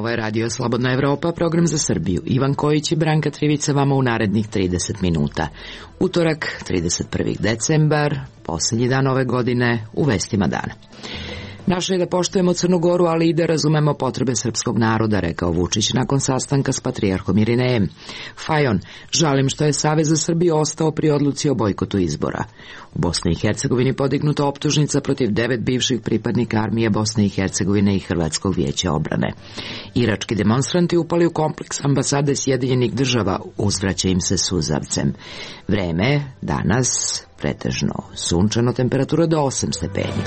Ovo je Radio Slobodna Evropa, program za Srbiju. Ivan Kojić i Branka Trivica vama u narednih 30 minuta. Utorak, 31. decembar, posljednji dan ove godine, u vestima dana. Naše je da poštujemo Crnu Goru, ali i da razumemo potrebe srpskog naroda, rekao Vučić nakon sastanka s patrijarhom Irinejem. Fajon, žalim što je Savez za Srbiju ostao pri odluci o bojkotu izbora. U Bosni i Hercegovini podignuta optužnica protiv 9 bivših pripadnika armije Bosne i Hercegovine i Hrvatskog vijeća obrane. Irački demonstranti upali u kompleks ambasade Sjedinjenih država, uzvraća im se suzavcem. Vreme danas pretežno sunčano, temperatura do 8 stepeni.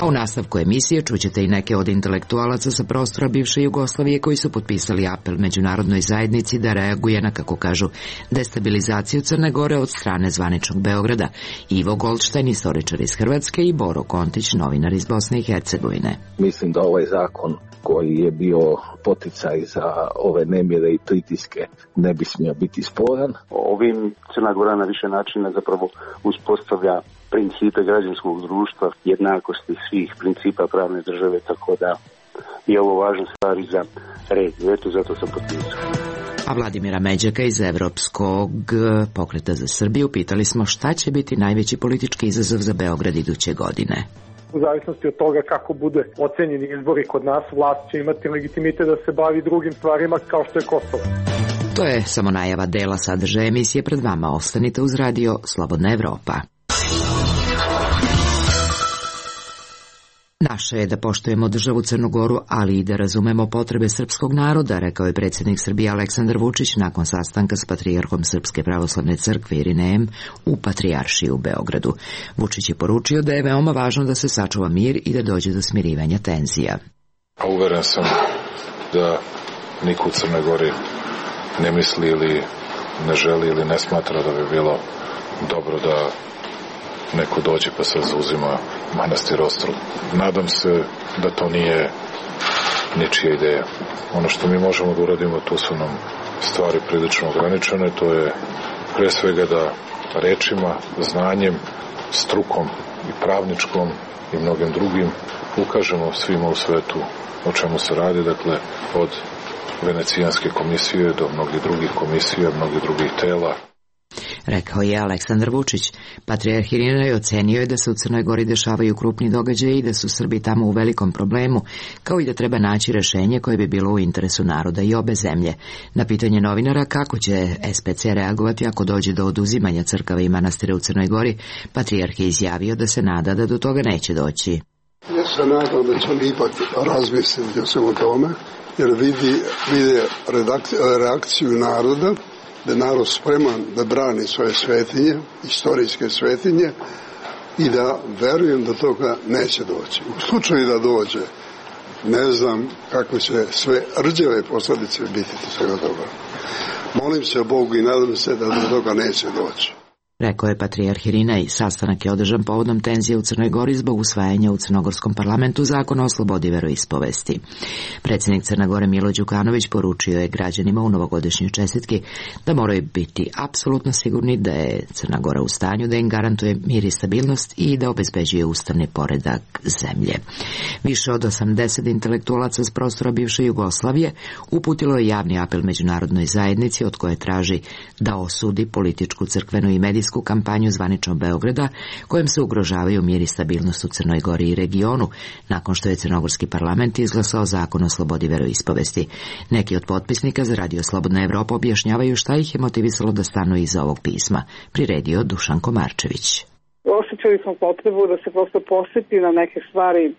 A u nastavku emisije čućete i neke od intelektualaca sa prostora bivše Jugoslavije koji su potpisali apel međunarodnoj zajednici da reaguje na, kako kažu, destabilizaciju Crne Gore od strane zvaničnog Beograda. Ivo Goldštajn, istoričar iz Hrvatske, i Boro Kontić, novinar iz Bosne i Hercegovine. Mislim da ovaj zakon koji je bio poticaj za ove nemire i pritiske ne bi smio biti sporan. Ovim Crna Gora na više načina zapravo uspostavlja principe građanskog društva, jednakosti svih principa pravne države, tako da je ovo važna stvar i za regiju. Eto, zato sam potpisao. A Vladimira Međaka iz Evropskog pokreta za Srbiju pitali smo šta će biti najveći politički izazov za Beograd iduće godine. U zavisnosti od toga kako bude ocenjeni izbori kod nas, vlast će imati legitimitet da se bavi drugim stvarima kao što je Kosovo. To je samo najava dela sadržaja emisije pred vama. Ostanite uz Radio Slobodna Evropa. Naše je da poštujemo državu Crnu Goru, ali i da razumemo potrebe srpskog naroda, rekao je predsjednik Srbije Aleksandar Vučić nakon sastanka s patrijarhom Srpske pravoslavne crkve Irinejem u Patrijaršiji u Beogradu. Vučić je poručio da je veoma važno da se sačuva mir i da dođe do smirivanja tenzija. Uveren sam da niko u Crnoj Gori ne misli ili ne želi ili ne smatra da bi bilo dobro da neko dođe pa se zauzima manastir Ostrog. Nadam se da to nije ničija ideja. Ono što mi možemo da uradimo, tu su nam stvari prilično ograničene, to je pre svega da rečima, znanjem, strukom i pravničkom i mnogim drugim ukažemo svima u svetu o čemu se radi, dakle od Venecijanske komisije do mnogih drugih komisija, mnogih drugih tela. Rekao je Aleksandar Vučić. Patrijarh Irinej ocenio je da se u Crnoj Gori dešavaju krupni događaji i da su Srbi tamo u velikom problemu, kao i da treba naći rešenje koje bi bilo u interesu naroda i obe zemlje. Na pitanje novinara kako će SPC reagovati ako dođe do oduzimanja crkava i manastira u Crnoj Gori, patrijarh je izjavio da se nada da do toga neće doći. Ja se nadam da će on ipak razmisliti o svemu tome, jer vidi reakciju naroda, da je narod spreman da brani svoje svetinje, istorijske svetinje, i da verujem da toga neće doći. U slučaju da dođe, ne znam kako će sve rđave posljedice biti svega toga. Molim se Bogu i nadam se da do toga neće doći. Rekao je patrijarh Irinej. Sastanak je održan povodom tenzije u Crnoj Gori zbog usvajanja u Crnogorskom parlamentu zakona o slobodi veroispovesti. Predsjednik Crne Gore Milo Đukanović poručio je građanima u novogodišnjoj čestitki da moraju biti apsolutno sigurni da je Crna Gora u stanju da im garantuje mir i stabilnost i da obezbeđuje ustavni poredak zemlje. Više od 80 intelektualaca s prostora bivše Jugoslavije uputilo je javni apel međunarodnoj zajednici od koje traži da osudi političku, crkvenu i medijsku kampanju zvaničnog Beograda kojom se ugrožavaju mir i stabilnost u Crnoj Gori i regionu, nakon što je Crnogorski parlament izglasao zakon o slobodi veroispovesti. Neki od potpisnika za Radio Slobodna Evropa objašnjavaju šta ih je motivisalo da stanu iza ovog pisma. Priredio Dušan Komarčević. Osjećali smo potrebu da se prosto posjeti na neke stvari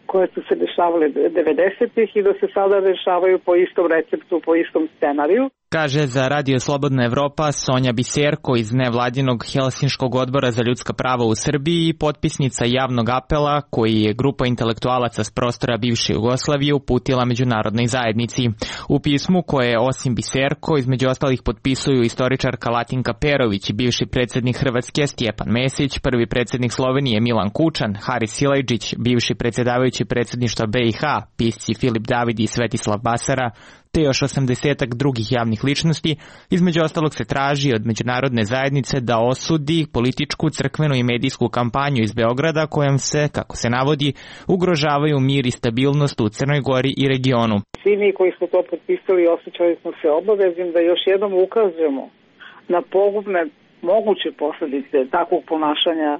koje su se dešavale 90-ih i da se sada dešavaju po istom receptu, po istom scenariju. Kaže za Radio Slobodna Evropa Sonja Biserko iz nevladinog Helsinškog odbora za ljudska prava u Srbiji i potpisnica javnog apela koji je grupa intelektualaca s prostora bivše Jugoslavije uputila međunarodnoj zajednici. U pismu koje osim Biserko između ostalih potpisuju istoričarka Latinka Perović i bivši predsjednik Hrvatske Stjepan Mesić, prvi predsjednik Slovenije Milan Kučan, Haris Silajdžić, bivši predsjedavajući predsjedništva BiH, pisci Filip David i Svetislav Basara, te još 80-ak drugih javnih ličnosti. Između ostalog se traži od međunarodne zajednice da osudi političku, crkvenu i medijsku kampanju iz Beograda kojom se, kako se navodi, ugrožavaju mir i stabilnost u Crnoj Gori i regionu. Svi mi koji smo to potpisali osjećali smo se obaveznim da još jednom ukazujemo na pogubne moguće posljedice takvog ponašanja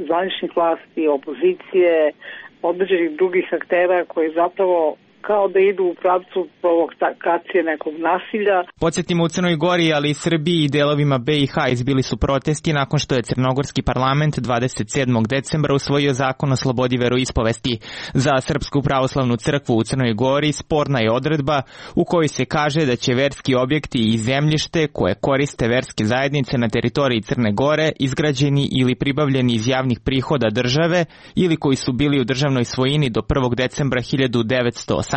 zvaničnih vlasti, opozicije, određenih drugih aktera koji zapravo kao da idu u pravcu provokacije nekog nasilja. Podsjetimo, u Crnoj Gori, ali i Srbiji i delovima BiH izbili su protesti nakon što je crnogorski parlament 27. decembra usvojio zakon o slobodi veroispovesti. Za Srpsku pravoslavnu crkvu u Crnoj Gori sporna je odredba u kojoj se kaže da će verski objekti i zemljište koje koriste verske zajednice na teritoriji Crne Gore, izgrađeni ili pribavljeni iz javnih prihoda države ili koji su bili u državnoj svojini do 1. decembra 1918.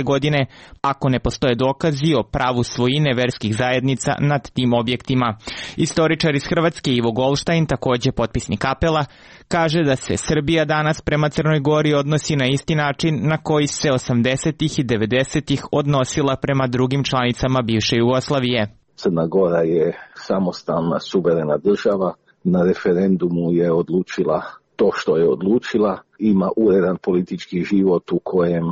godine, ako ne postoje dokazi o pravu svojine verskih zajednica nad tim objektima. Istoričar iz Hrvatske Ivo Golštajn, takođe potpisnik apela, kaže da se Srbija danas prema Crnoj Gori odnosi na isti način na koji se 80. i 90. odnosila prema drugim članicama bivše Jugoslavije. Crna Gora je samostalna, suverena država, na referendumu je odlučila to što je odlučila, ima uredan politički život u kojem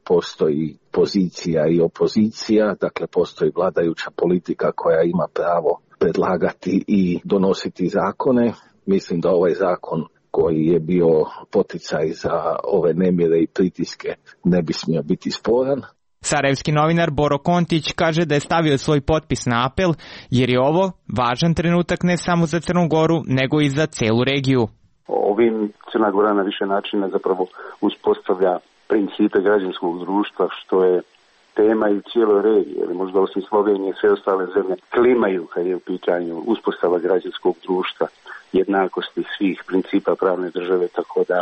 postoji pozicija i opozicija, dakle postoji vladajuća politika koja ima pravo predlagati i donositi zakone. Mislim da ovaj zakon koji je bio poticaj za ove nemire i pritiske ne bi smio biti sporan. Sarajevski novinar Boro Kontić kaže da je stavio svoj potpis na apel jer je ovo važan trenutak ne samo za Crnu Goru nego i za celu regiju. Ovim Crna Gora na više načina zapravo uspostavlja principe građanskog društva, što je tema i u cijeloj regiji, ili možda osim Slovenije sve ostale zemlje klimaju kad je u pitanju uspostava građanskog društva, jednakosti svih principa pravne države, tako da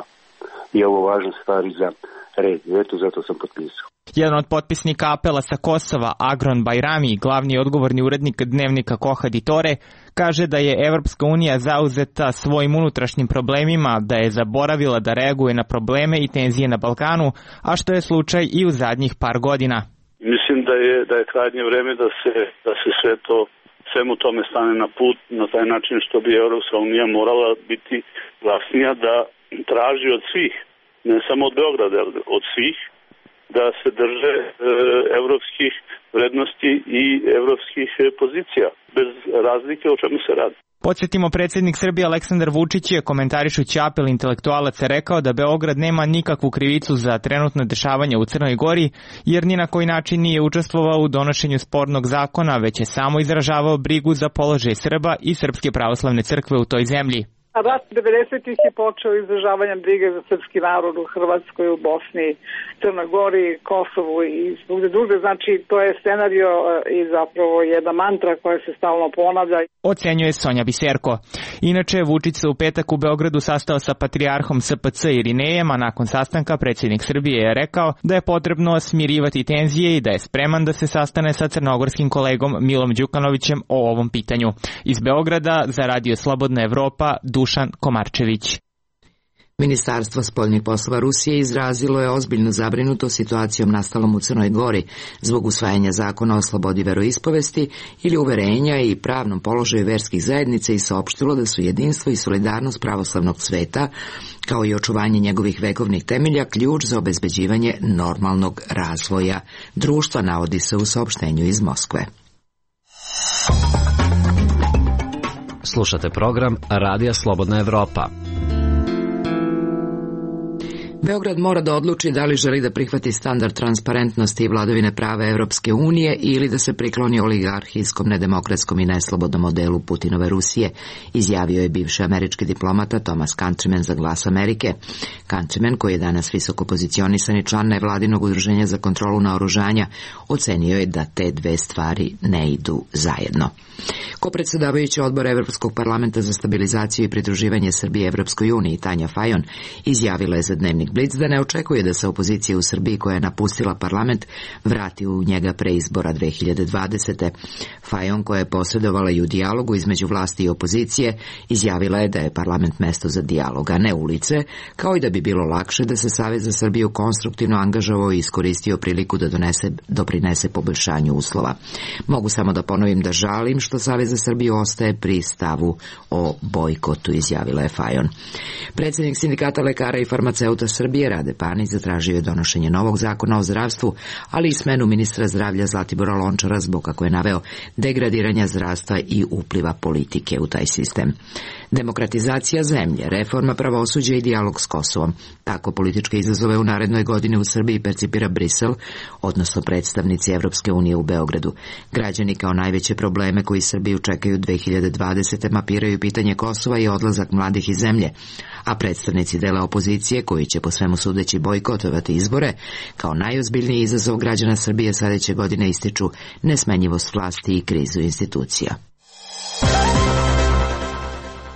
je ovo važna stvar i za regiju. Eto, zato sam potpisao. Jedan od potpisnika apela sa Kosova, Agron Bajrami, glavni odgovorni urednik dnevnika Koha Ditore, kaže da je Evropska unija zauzeta svojim unutrašnjim problemima, da je zaboravila da reaguje na probleme i tenzije na Balkanu, a što je slučaj i u zadnjih par godina. Mislim da je krajnje vreme da se svemu tome stane na put, na taj način što bi Evropska unija morala biti glasnija, da traži od svih, ne samo od Beograda, od svih, da se drže evropskih vrednosti i evropskih pozicija, bez razlike o čemu se radi. Podsjetimo, predsjednik Srbije Aleksandar Vučić je, komentarišući apel intelektualaca, rekao da Beograd nema nikakvu krivicu za trenutno dešavanje u Crnoj Gori, jer ni na koji način nije učestvovao u donošenju spornog zakona, već je samo izražavao brigu za položaj Srba i Srpske pravoslavne crkve u toj zemlji. Rat 90-ih je počeo izražavanjem brige za srpski narod u Hrvatskoj, u Bosni, Crnoj Gori, Kosovu i drugde. Znači, to je scenario i zapravo jedna mantra koja se stalno ponavlja. Ocenjuje Sonja Biserko. Inače, Vučić se u petak u Beogradu sastao sa patrijarhom SPC Irinejem, a nakon sastanka predsjednik Srbije je rekao da je potrebno smirivati tenzije i da je spreman da se sastane sa crnogorskim kolegom Milom Đukanovićem o ovom pitanju. Iz Beograda za Radio Slobodna Evropa, Dušan Komarčević. Ministarstvo spoljnih poslova Rusije izrazilo je ozbiljnu zabrinutost situacijom nastalom u Crnoj Gori zbog usvajanja zakona o slobodi veroispovesti ili uverenja i pravnom položaju verskih zajednica i saopštilo da su jedinstvo i solidarnost pravoslavnog sveta, kao i očuvanje njegovih vekovnih temelja, ključ za obezbeđivanje normalnog razvoja društva, navodi se u saopštenju iz Moskve. Slušate program Radija Slobodna Evropa. Beograd mora da odluči da li želi da prihvati standard transparentnosti i vladavine prava Evropske unije ili da se prikloni oligarhijskom, nedemokratskom i neslobodnom modelu Putinove Rusije, izjavio je bivši američki diplomata Thomas Countryman za Glas Amerike. Countryman, koji je danas visoko pozicionisan i član nevladinog udruženja za kontrolu naoružanja, ocenio je da te dve stvari ne idu zajedno. Kopredsedavajući odbora Evropskog parlamenta za stabilizaciju i pridruživanje Srbije Evropskoj uniji, Tanja Fajon, izjavila je za Dnevnik Dnevnik Blic da ne očekuje da se opozicija u Srbiji koja je napustila parlament vrati u njega pre izbora 2020. Fajon, koja je posredovala i u dijalogu između vlasti i opozicije, izjavila je da je parlament mesto za dijalog, a ne ulice, kao i da bi bilo lakše da se Savez za Srbiju konstruktivno angažovao i iskoristio priliku da doprinese poboljšanju uslova. Mogu samo da ponovim da žalim što Savez za Srbiju ostaje pri stavu o bojkotu, izjavila je Fajon. Predsjednik Sindikata lekara i farmaceuta Srbije Rade Panić zatražio je donošenje novog zakona o zdravstvu, ali i smenu ministra zdravlja Zlatibora Lončara zbog, kako je naveo, degradiranja zdravstva i upliva politike u taj sistem. Demokratizacija zemlje, reforma pravosuđa i dijalog s Kosovom. Tako političke izazove u narednoj godini u Srbiji percipira Brisel, odnosno predstavnici Evropske unije u Beogradu. Građani kao najveće probleme koji Srbiju čekaju 2020. mapiraju pitanje Kosova i odlazak mladih iz zemlje, a predstavnici dela opozicije, koji će po svemu sudeći bojkotovati izbore, kao najozbiljniji izazov građana Srbije sledeće godine ističu nesmenjivost vlasti i krizu institucija.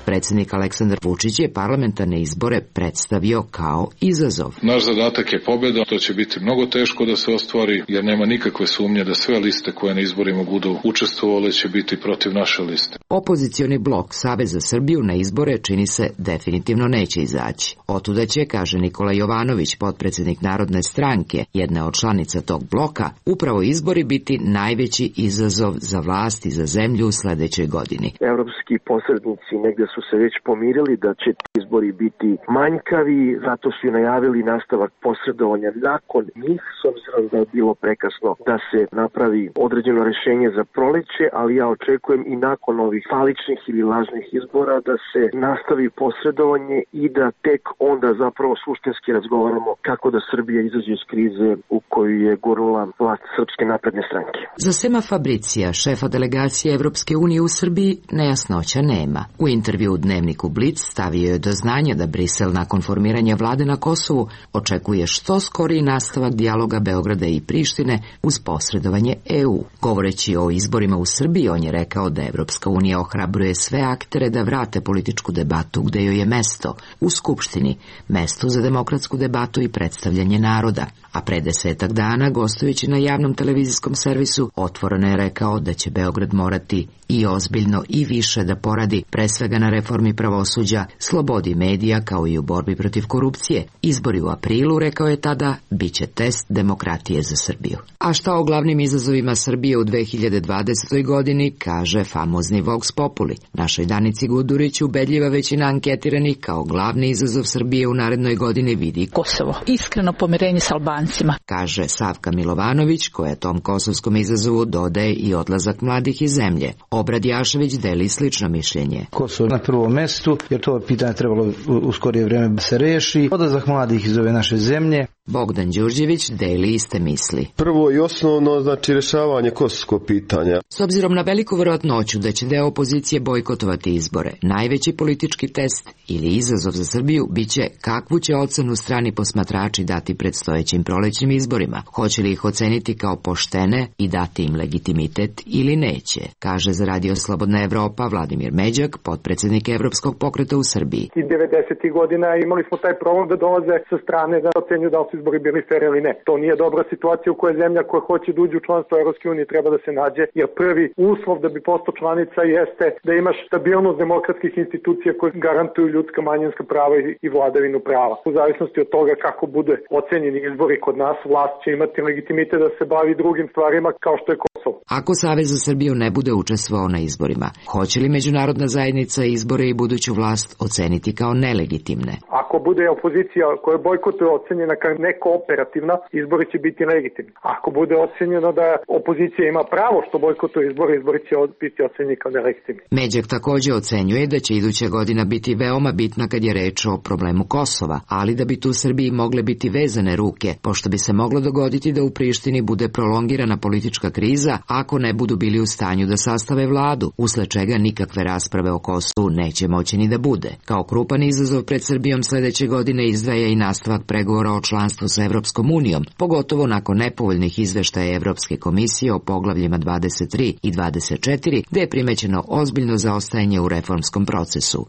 Predsjednik Aleksandar Vučić je parlamentarne izbore predstavio kao izazov. Naš zadatak je pobjeda, to će biti mnogo teško da se ostvari, jer nema nikakve sumnje da sve liste koje na izborima budu učestvovale će biti protiv naše liste. Opozicioni blok Savez za Srbiju na izbore čini se definitivno neće izaći. Otuda će, kaže Nikola Jovanović, potpredsjednik Narodne stranke, jedna od članica tog bloka, upravo izbori biti najveći izazov za vlast i za zemlju u sledećoj godini. Evropski posrednici negde su se već pomirili da će izbori biti manjkavi, zato su i najavili nastavak posredovanja nakon njih, s obzirom da je bilo prekasno da se napravi određeno rešenje za proleće, ali ja očekujem i nakon ovih faličnih ili lažnih izbora da se nastavi posredovanje i da tek onda zapravo suštinski razgovaramo kako da Srbija izađe iz krize u koju je gurnula vlast Srpske napredne stranke. Za Sema Fabricija, šefa delegacije Evropske unije u Srbiji, nejasnoća nema. U intervju u Dnevniku Blic stavio je do znanja da Brisel nakon formiranja vlade na Kosovu očekuje što skoriji nastavak dijaloga Beograda i Prištine uz posredovanje EU. Govoreći o izborima u Srbiji, on je rekao da Evropska unija ohrabruje sve aktere da vrate političku debatu gde joj je mesto, u Skupštini, mesto za demokratsku debatu i predstavljanje naroda. A pre 10 dana, gostujući na javnom televizijskom servisu, otvoreno je rekao da će Beograd morati i ozbiljno i više da poradi, pre svega na reformi pravosuđa, slobodi medija kao i u borbi protiv korupcije. Izbori u aprilu, rekao je tada, bit će test demokratije za Srbiju. A šta o glavnim izazovima Srbije u 2020. godini kaže famozni Vox Populi. Našoj Danici Gudurić ubedljiva većina anketiranih kao glavni izazov Srbije u narednoj godini vidi Kosovo. Iskreno pomirenje s Albancima. Kaže Savka Milovanović, koja tom kosovskom izazovu dodaje i odlazak mladih iz zemlje. Obrad Jašević deli slično mišljenje. Kosovo na prvom mestu, jer to pitanje trebalo u skorije vreme da se reši. Odlazak mladih iz ove naše zemlje. Bogdan Đurđević deli iste misli. Prvo i osnovno, znači rješavanje kosovskog pitanja. S obzirom na veliku verovatnoću da će deo opozicije bojkotovati izbore, najveći politički test ili izazov za Srbiju biće kakvu će ocenu strani posmatrači dati predstojećim prolećnim izborima. Hoće li ih oceniti kao poštene i dati im legitimitet ili neće, kaže za Radio Slobodna Evropa Vladimir Međak, potpredsjednik Evropskog pokreta u Srbiji. I 90. godina imali smo taj problem da dolaze sa strane da ocenju da su izbori bili fer ili ne. To nije dobra situacija u kojoj zemlja koja hoće da uđe u članstvo Evropske unije treba da se nađe, jer prvi uslov da bi postao članica jeste da imaš stabilnost demokratskih institucija koje garantuju ljudska manjinska prava i vladavinu prava. U zavisnosti od toga kako bude ocenjeni izbori kod nas, vlast će imati legitimitet da se bavi drugim stvarima kao što je Kosovo. Ako Savez za Srbiju ne bude učestvovao na izborima, hoće li međunarodna zajednica izbore i buduću vlast oceniti kao nelegitimne? Ako bude opozicija koja bojkotuje ocenjena kao nekooperativna, izbori će biti legitimni. Ako bude ocenjeno da opozicija ima pravo što bojkotuje izbori, izbori će biti ocenjeni kao nelegitimni. Međak takođe ocenjuje da će iduća godina biti veoma bitna kad je reč o problemu Kosova, ali da bi tu Srbiji mogle biti vezane ruke, pošto bi se moglo dogoditi da u Prištini bude prolongirana politička kriza ako ne budu bili u stanju da sastave vladu, usled čega nikakve rasprave o Kosovu neće moći ni da bude. Kao krupan izazov pred Srbijom sledeće godine izdvaja i nastavak pregovora o članstvu sa Evropskom unijom, pogotovo nakon nepovoljnih izveštaja Evropske komisije o poglavljima 23 i 24, gde je primećeno ozbiljno zaostajanje u reformskom procesu.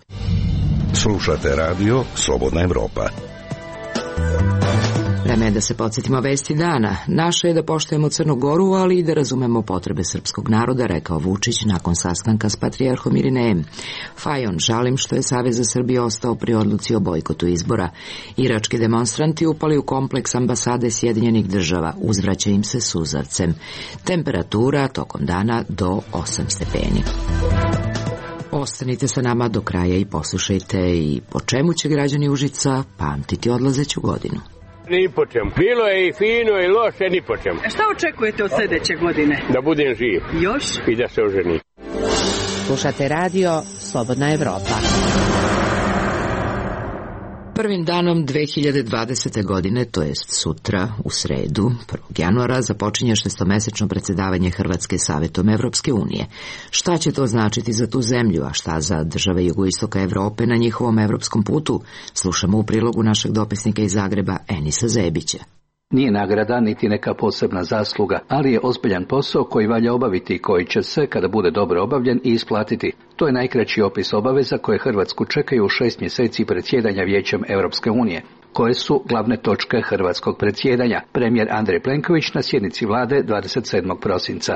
Slušate radio Slobodna Evropa. Vreme je da se podsjetimo vesti dana. Naše je da poštujemo Crnu Goru, ali i da razumemo potrebe srpskog naroda, rekao Vučić nakon sastanka s patrijarhom Irinejem. Fajon, žalim što je Savez za Srbiju ostao pri odluci o bojkotu izbora. Irački demonstranti upali u kompleks ambasade Sjedinjenih država. Uzvraća im se suzavcem. Temperatura tokom dana do 8 stepeni. Ostanite sa nama do kraja i poslušajte i po čemu će građani Užica pamtiti odlazeću godinu. Ni po čemu. Bilo je i fino i loše, ni po čemu. Šta očekujete od sljedeće godine? Da budem živ. Još? I da se oženim. Slušate radio Slobodna Evropa. Prvim danom 2020. godine, to jest sutra, u sredu, 1. januara, započinje 6-mesečno predsjedavanje Hrvatske Savetom Evropske unije. Šta će to značiti za tu zemlju, a šta za države jugoistoka Evrope na njihovom evropskom putu? Slušamo u prilogu našeg dopisnika iz Zagreba, Enisa Zebića. Nije nagrada niti neka posebna zasluga, ali je ozbiljan posao koji valja obaviti i koji će se, kada bude dobro obavljen, i isplatiti. To je najkraći opis obaveza koje Hrvatsku čekaju u 6 mjeseci predsjedanja Vijećem Europske unije. Koje su glavne točke hrvatskog predsjedanja? Premijer Andrej Plenković na sjednici vlade 27. prosinca.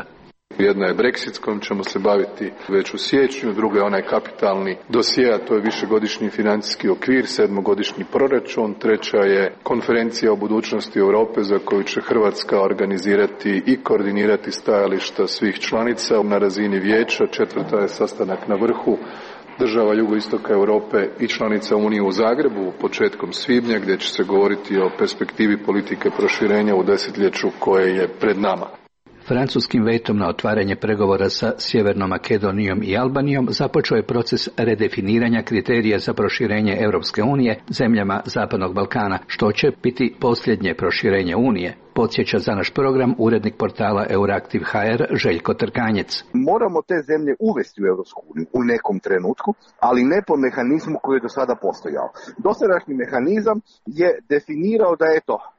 Jedna je Brexit s kojom ćemo se baviti već u siječnju, druga je onaj kapitalni dosje, a to je višegodišnji financijski okvir, 7-godišnji proračun, treća je konferencija o budućnosti Europe za koju će Hrvatska organizirati i koordinirati stajališta svih članica na razini vijeća, četvrta je sastanak na vrhu država jugoistoka Europe i članica Unije u Zagrebu početkom svibnja, gdje će se govoriti o perspektivi politike proširenja u desetljeću koje je pred nama. Francuskim vetom na otvaranje pregovora sa Sjevernom Makedonijom i Albanijom započeo je proces redefiniranja kriterija za proširenje Europske unije zemljama Zapadnog Balkana, što će biti posljednje proširenje Unije. Podsjeća za naš program urednik portala Euraktiv.hr Željko Trkanjec. Moramo te zemlje uvesti u Europsku uniju u nekom trenutku, ali ne po mehanizmu koji je do sada postojao. Dosadašnji mehanizam je definirao da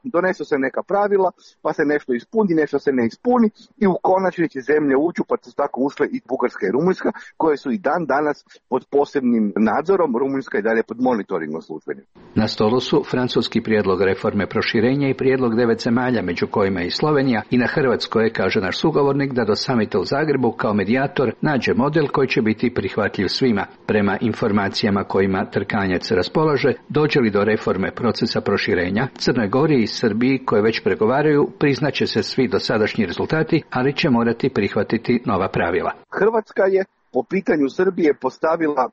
donesu se neka pravila, pa se nešto ispuni, nešto se ne ispuni i u konačnici zemlje uđu, pa su tako ušle i Bugarska i Rumunjska, koje su i dan danas pod posebnim nadzorom, Rumunjska i dalje pod monitoringom službenim. Na stolu su francuski prijedlog reforme proširenja i prijedlog 9 zemalja, među kojima je i Slovenija, i na Hrvatskoj je, kaže naš sugovornik, da do samita u Zagrebu kao medijator nađe model koji će biti prihvatljiv svima. Prema informacijama kojima Trkanjac raspolaže, dođe li do reforme procesa proširenja, Crnoj Gori i Srbiji, koje već pregovaraju, priznaće se svi dosadašnji rezultati, ali će morati prihvatiti nova pravila. Hrvatska je po pitanju Srbije postavila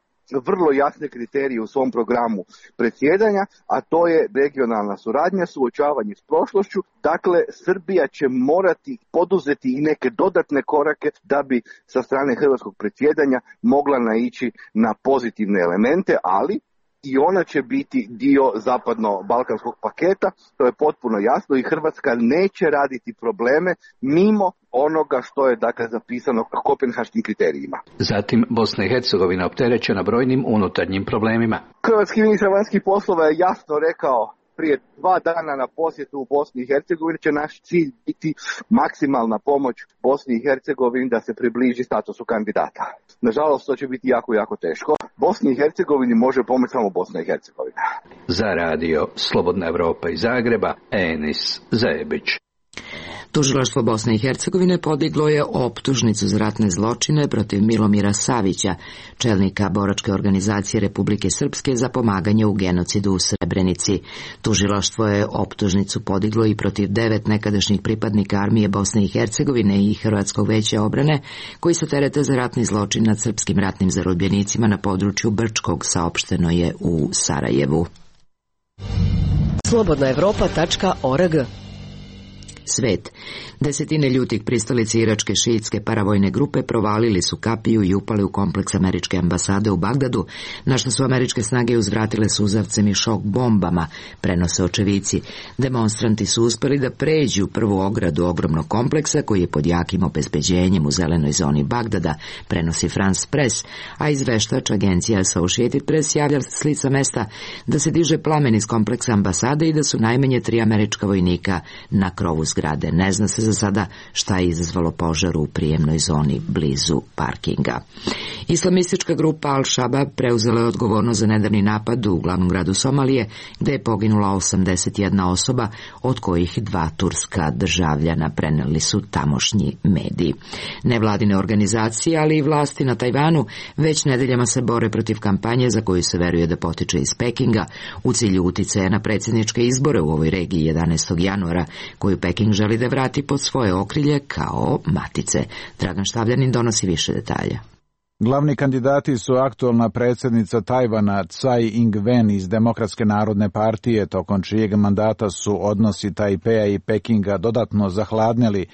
vrlo jasne kriterije u svom programu predsjedanja, a to je regionalna suradnja, suočavanje s prošlošću. Dakle, Srbija će morati poduzeti i neke dodatne korake da bi sa strane hrvatskog predsjedanja mogla naići na pozitivne elemente, ali i ona će biti dio zapadno-balkanskog paketa, to je potpuno jasno, i Hrvatska neće raditi probleme mimo onoga što je zapisano kopenhaškim kriterijima. Zatim Bosna i Hercegovina opterećena brojnim unutarnjim problemima. Hrvatski ministar vanjskih poslova je jasno rekao prije 2 dana na posjetu u Bosni i Hercegovini će naš cilj biti maksimalna pomoć Bosni i Hercegovini da se približi statusu kandidata. Nažalost, to će biti jako, jako teško. Bosni i Hercegovini može pomoći samo Bosna i Hercegovina. Za radio Slobodna Evropa iz Zagreba, Enis Zebić. Tužilaštvo Bosne i Hercegovine podiglo je optužnicu za ratne zločine protiv Milomira Savića, čelnika boračke organizacije Republike Srpske za pomaganje u genocidu u Srebrenici. Tužilaštvo je optužnicu podiglo i protiv 9 nekadašnjih pripadnika armije Bosne i Hercegovine i Hrvatskog veća obrane, koji se terete za ratni zločin nad srpskim ratnim zarobljenicima na području Brčkog, saopšteno je u Sarajevu. Slobodnaevropa.org. Svet. Desetine ljutih pristalica iračke šiitske paravojne grupe provalili su kapiju i upali u kompleks američke ambasade u Bagdadu, na što su američke snage uzvratile suzavcem i šok bombama, prenose očevici. Demonstranti su uspeli da pređu prvu ogradu ogromnog kompleksa koji je pod jakim obezbeđenjem u zelenoj zoni Bagdada, prenosi France Press, a izveštač agencija Associated Press javlja s lica mesta da se diže plamen iz kompleksa ambasade i da su najmanje 3 američka vojnika na krovu zgrade. zgrade. Ne zna se za sada šta je izazvalo požar u prijemnoj zoni blizu parkinga. Islamistička grupa Al-Shabaab preuzela je odgovornost za nedavni napad u glavnom gradu Somalije, gde je poginula 81 osoba, od kojih 2 turska državljana, preneli su tamošnji mediji. Nevladine organizacije, ali i vlasti na Tajvanu već nedeljama se bore protiv kampanje za koju se veruje da potiče iz Pekinga u cilju uticaja na predsjedničke izbore u ovoj regiji 11. januara, koju Peking želi da vrati pod svoje okrilje kao matice. Dragan Štavljanin donosi više detalja. Glavni kandidati su aktualna predsjednica Tajvana Tsai Ing-wen iz Demokratske narodne partije, tokom čijeg mandata su odnosi Tajpeja i Pekinga dodatno zahladneli,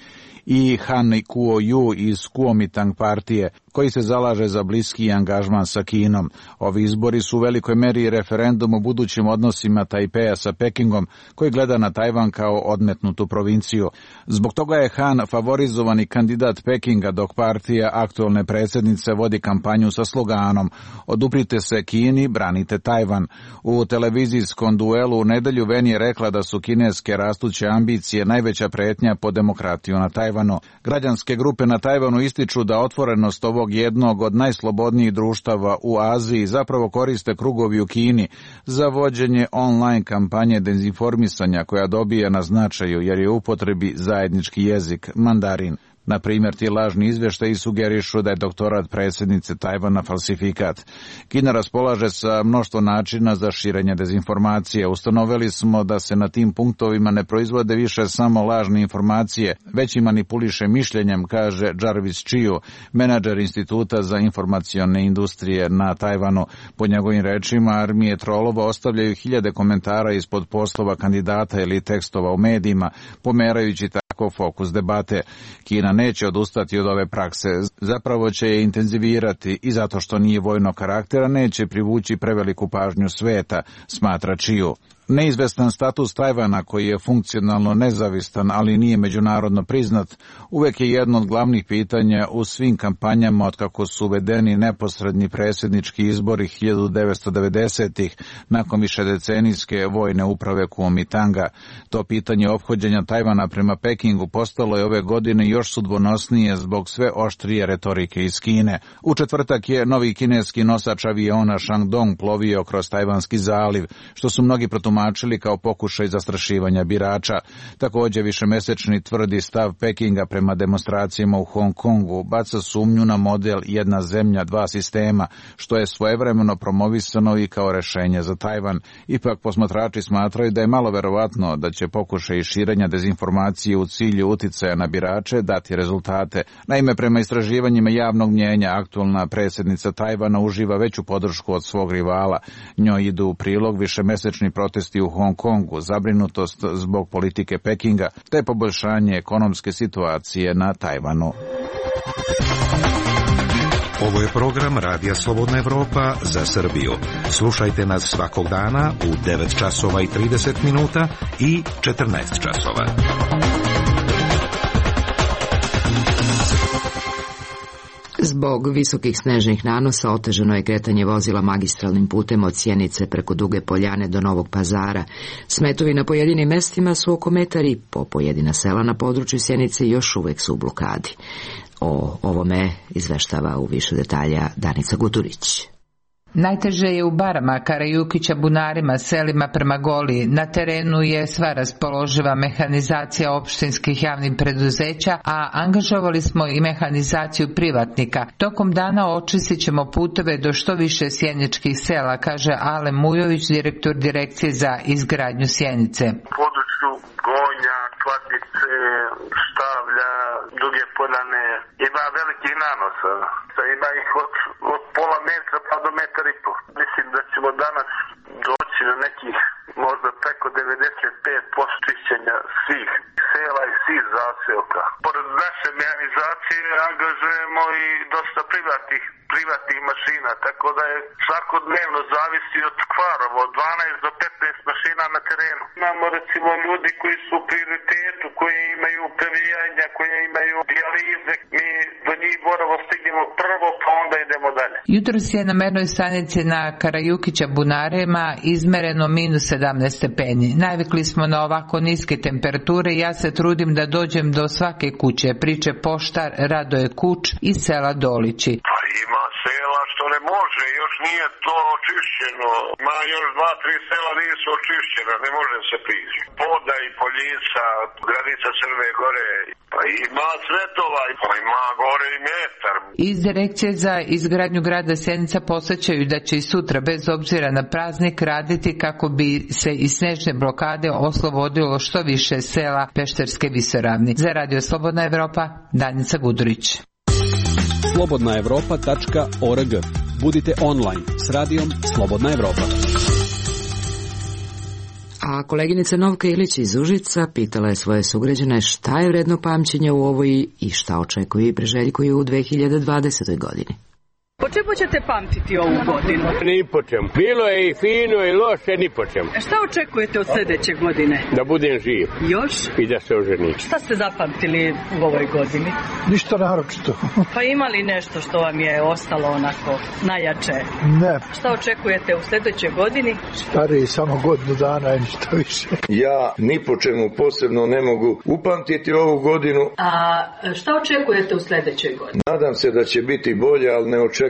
i Han Kuo-ju iz Kuomintang partije, koji se zalaže za bliski angažman sa Kinom. Ovi izbori su u velikoj meri referendum o budućim odnosima Tajpeja sa Pekingom, koji gleda na Tajvan kao odmetnutu provinciju. Zbog toga je Han favorizovani kandidat Pekinga, dok partija aktualne predsjednice vodi kampanju sa sloganom "Oduprite se Kini, branite Tajvan". U televizijskom duelu u nedelju Wen je rekla da su kineske rastuće ambicije najveća pretnja po demokratiju na Tajvanu. Građanske grupe na Tajvanu ističu da otvorenost ovog jednog od najslobodnijih društava u Aziji zapravo koriste krugovi u Kini za vođenje online kampanje dezinformisanja koja dobija na značaju jer je u upotrebi zajednički jezik, mandarin. Na primjer, ti lažni izvještaji sugerišu da je doktorat predsjednice Tajvana falsifikat. Kina raspolaže sa mnoštvo načina za širenje dezinformacije. Ustanovili smo da se na tim punktovima ne proizvode više samo lažne informacije, već i manipuliše mišljenjem, kaže Jarvis Chiu, menadžer Instituta za informacione industrije na Tajvanu. Po njegovim rečima, armije trolova ostavljaju hiljade komentara ispod poslova kandidata ili tekstova u medijima, pomerajući tako fokus debate. Kina neće odustati od ove prakse, zapravo će je intenzivirati i zato što nije vojnog karaktera neće privući preveliku pažnju sveta, smatra Chiu. Neizvestan status Tajvana, koji je funkcionalno nezavistan, ali nije međunarodno priznat, uvek je jedno od glavnih pitanja u svim kampanjama otkako su uvedeni neposredni predsjednički izbori 1990-ih nakon višedecenijske vojne uprave Kuomintanga. To pitanje ophođenja Tajvana prema Pekingu postalo je ove godine još sudbonosnije zbog sve oštrije retorike iz Kine. U četvrtak je novi kineski nosač aviona Shandong plovio kroz Tajvanski zaliv, što su mnogi protumačili kao pokušaj zastrašivanja birača. Također višemesečni tvrdi stav Pekinga prema demonstracijama u Hong Kongu baca sumnju na model jedna zemlja, dva sistema, što je svojevremeno promovisano i kao rešenje za Tajvan. Ipak posmatrači smatraju da je malo verovatno da će pokušaj širenja dezinformacije u cilju uticaja na birače dati rezultate. Naime, prema istraživanjima javnog mnjenja, aktualna predsjednica Tajvana uživa veću podršku od svog rivala. Njoj idu u prilog višemesečni protesti u Hong Kongu, zabrinutost zbog politike Pekinga, te poboljšanje ekonomske situacije na Tajvanu. Ovo je program Radija Slobodna Evropa za Srbiju. Slušajte nas svakog dana u 9 časova i 30 minuta i 14 časova. Zbog visokih snežnih nanosa otežano je kretanje vozila magistralnim putem od Sjenice preko Duge Poljane do Novog Pazara. Smetovi na pojedinim mestima su oko metar i po, pojedina sela na području Sjenice još uvek su u blokadi. O ovome izveštava u više detalja Danica Guturić. Najteže je u Barama, Karajukića, Bunarima, selima prema Goliji. Na terenu je sva raspoloživa mehanizacija opštinskih javnih preduzeća, a angažovali smo i mehanizaciju privatnika. Tokom dana očistit ćemo puteve do što više sjeničkih sela, kaže Ale Mujović, direktor Direkcije za izgradnju Sjenice. U području Gonja, Kladnice, Štavlja, Duge Poljane ima velikih nanosa. Ima ih od pola metra pa do metar i po. Mislim da ćemo danas doći na nekih možda preko 95% čišćenja svih sela i svih zaseoka. Pored naše mehanizacije angažujemo i dosta privatnih mašina, tako da je svakodnevno zavisi od kvarova, od 12 do 15 mašina na terenu. Imamo recimo ljudi koji su u prioritetu, koji imaju previjanja, koje imaju dijalize, mi do njih moramo stignemo prvo, pa onda idemo dalje. Jutros je na mernoj stanici na Karajukića Bunarima izmereno -17 stepeni. Navikli smo na ovako niske temperature i ja se trudim da dođem do svake kuće, priče poštar Radoje Kuč iz sela Dolići. Pa ima sela što ne može, još nije to očišćeno. Ma još 2-3 sela nisu očišćena, ne može se prići. Poda i Poljica, granica Crne Gore, pa ima Cvetova, pa ima gore i metar. Iz Direkcije za izgradnju grada Sjenica posjećaju da će i sutra, bez obzira na praznik, raditi kako bi se iz snežne blokade oslobodilo što više sela Pešterske visoravni. Za Radio Slobodna Evropa, Danica Gudurić. slobodnaevropa.org. Budite online s radijom Slobodna Evropa. A koleginica Novka Ilić iz Užica pitala je svoje sugrađane šta je vredno pamćenja u ovoj i šta očekuju i preželjkuju u 2020. godini. Po čemu ćete pamtiti ovu godinu? Ni po čemu. Bilo je i fino i loše, ni po čemu. Šta očekujete od sljedeće godine? Da budem živ. Još? I da se oženim. Šta ste zapamtili u ovoj godini? Ništa naročito. Pa ima li nešto što vam je ostalo onako najjače? Ne. Šta očekujete u sljedećoj godini? Stariji samo godinu dana i ništa više. Ja ni po čemu posebno ne mogu upamtiti ovu godinu. A šta očekujete u sljedećoj godini? Nadam se da će biti bolje, ali ne očekujem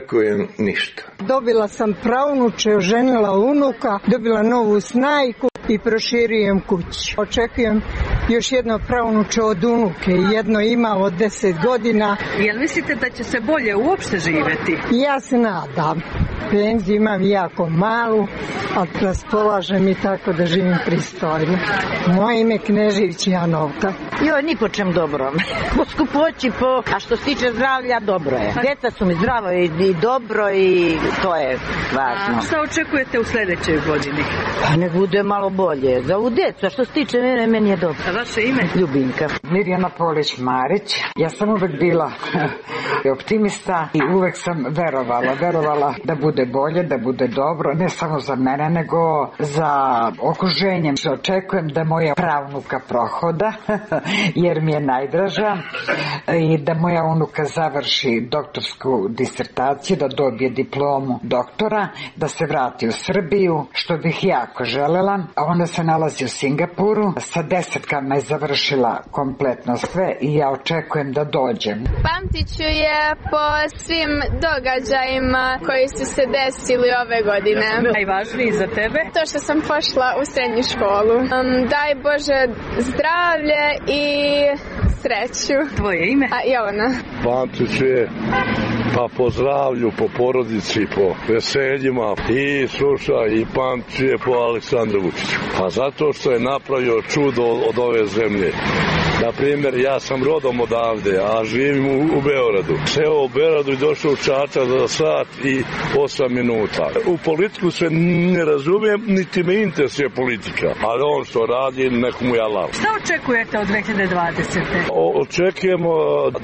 ništa. Dobila sam pravnuče, oženila unuka, dobila novu snajku i proširujem kuću. Očekujem još jedno pravnuče od unuke, jedno ima od 10 godina. Jel mislite da će se bolje uopšte živjeti? Ja se nadam. Penziju imam jako malu, ali raspolažem i tako da živim pristojno. Moje ime Knežević Janovka. Joj, ni po čem dobro. Po skupoći, a što se tiče zdravlja, dobro je. Djeca su mi zdravo i dobro i to je važno. A šta očekujete u sljedećoj godini? Pa ne bude malo bolje. Za ovu djecu, a što se tiče meni je dobro. A vaše ime? Ljubinka. Mirjana Polić-Marić. Ja sam uvek bila optimista i uvek sam verovala da bude bolje, da bude dobro, ne samo za mene, nego za okruženje. Očekujem da moja pravnuka prohoda, jer mi je najdraža, i da moja unuka završi doktorsku disertaciju, da dobije diplomu doktora, da se vrati u Srbiju, što bih jako želela. A ona se nalazi u Singapuru, sa 10 je završila kompletno sve i ja očekujem da dođem. Pamtit ću je po svim događajima koji su se desili ove godine. Najvažniji za tebe? To što sam pošla u srednju školu. Daj Bože zdravlje i sreću. Tvoje ime? Jovana. Pamtit ću je pa po zdravlju, po porodici, po veseljima i slušaj i pamtit ću je po Aleksandru Vučiću. Pa zato što je napravio čudo od ove zemlje. Na primjer, ja sam rodom odavde, a živim u Beogradu. Seo u Beogradu i došao u Čačak za sat i 8 minuta. U politiku se ne razumijem, niti me interesuje politika. Ali on što radi, nekomu je Allah. Šta očekujete od 2020. Očekujemo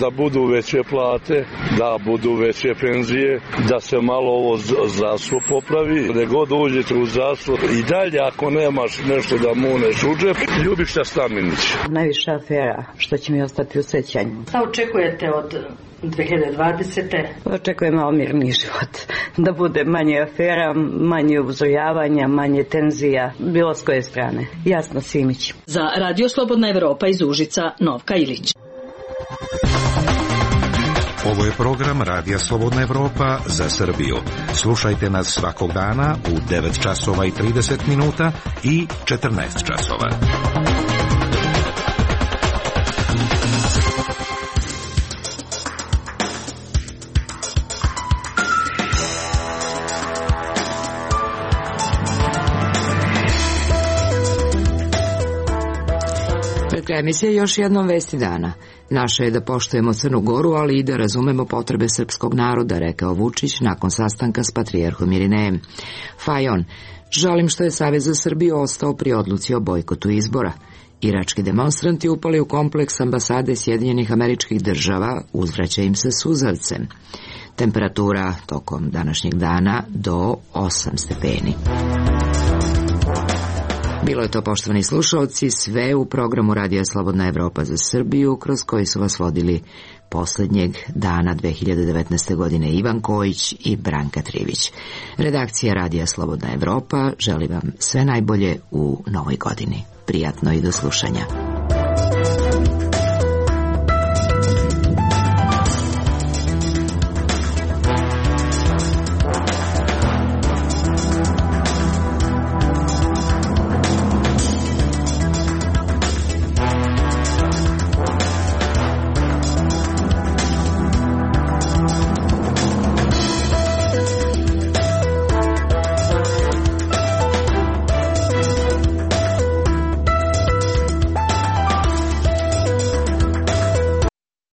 da budu veće plate, da budu veće penzije, da se malo ovo zdravstvo popravi. Gde god uđete u zdravstvo i dalje, ako nemaš nešto da muneš u džep, Ljubiša Staminić. Najviša afera što će mi ostati u sećanju. Šta očekujete od 2020. Očekujem malo mirni život. Da bude manje afera, manje uzrujavanja, manje tenzija, bilo s koje strane. Jasno, Simić. Za Radio Slobodna Evropa iz Užica, Novka Ilić. Ovo je program Radija Slobodna Evropa za Srbiju. Slušajte nas svakog dana u 9 časova i 30 minuta i 14 časova. Emisija još jednom vesti dana. Naše je da poštujemo Crnu Goru, ali i da razumemo potrebe srpskog naroda, rekao Vučić nakon sastanka s patrijarhom Irinejem. Fajon, žalim što je Savez za Srbiju ostao pri odluci o bojkotu izbora. Irački demonstranti upali u kompleks ambasade Sjedinjenih Američkih Država, uzvraća im se suzavcem. Temperatura tokom današnjeg dana do 8 stepeni. Bilo je to, poštovani slušalci, sve u programu Radija Slobodna Evropa za Srbiju, kroz koji su vas vodili poslednjeg dana 2019. godine Ivan Kojić i Branka Trivić. Redakcija Radija Slobodna Evropa želi vam sve najbolje u novoj godini. Prijatno i do slušanja.